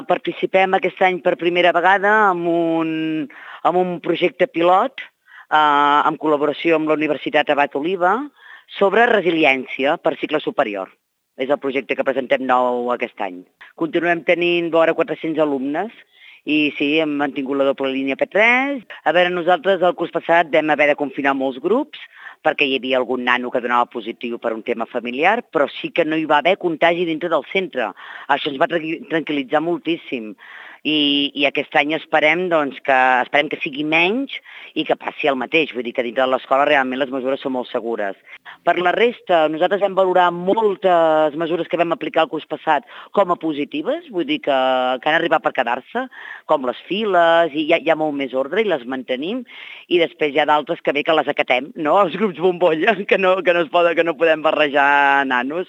Participem aquest any per primera vegada en un projecte pilot en col·laboració amb la Universitat Abat Oliba sobre resiliència per cicle superior. És el projecte que presentem nou aquest any. Continuem tenint vora 400 alumnes i sí, hem mantingut la doble línia P3. A veure, nosaltres el curs passat vam haver de confinar molts grups perquè hi havia algun nano que donava positiu per un tema familiar, però sí que no hi va haver contagi dintre del centre. Això ens va tranquil·litzar moltíssim. I aquest any esperem que sigui menys i que passi el mateix. Vull dir que dintre de l'escola realment les mesures són molt segures. Per la resta, nosaltres vam valorar moltes mesures que vam aplicar el curs passat com a positives, vull dir que han arribat per quedar-se, com les files, i hi ha molt més ordre i les mantenim, i després hi ha d'altres que bé que les acatem, no? Els grups bombolla, que no podem barrejar nanos.